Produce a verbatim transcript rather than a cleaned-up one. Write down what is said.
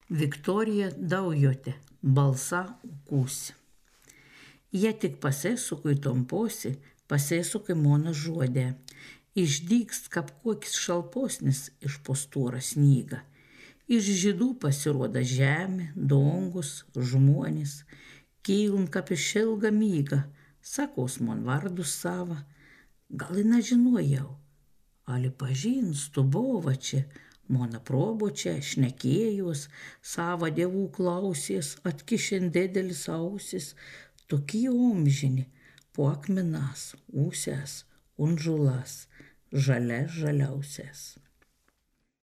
Viktorija Daujote. Balsa ukusi. Ja tik pasēsukai ton posi, pasēsukai mona žodē. Išdygst kap kokis šalposnis iš po stora snyga. Iš žydų pasiroda žemė, dangus, žmonės. Kylun kap iš ilga myga, sakaus mon vardu sava. Gal i nažinojau, ali pažinstu, bova čia, mona probočia, šnekėjus, sava dievų klausės, atkišin didelis ausis, tokie omžini, po akmenas, usės, un žulas, žalia žaliausias.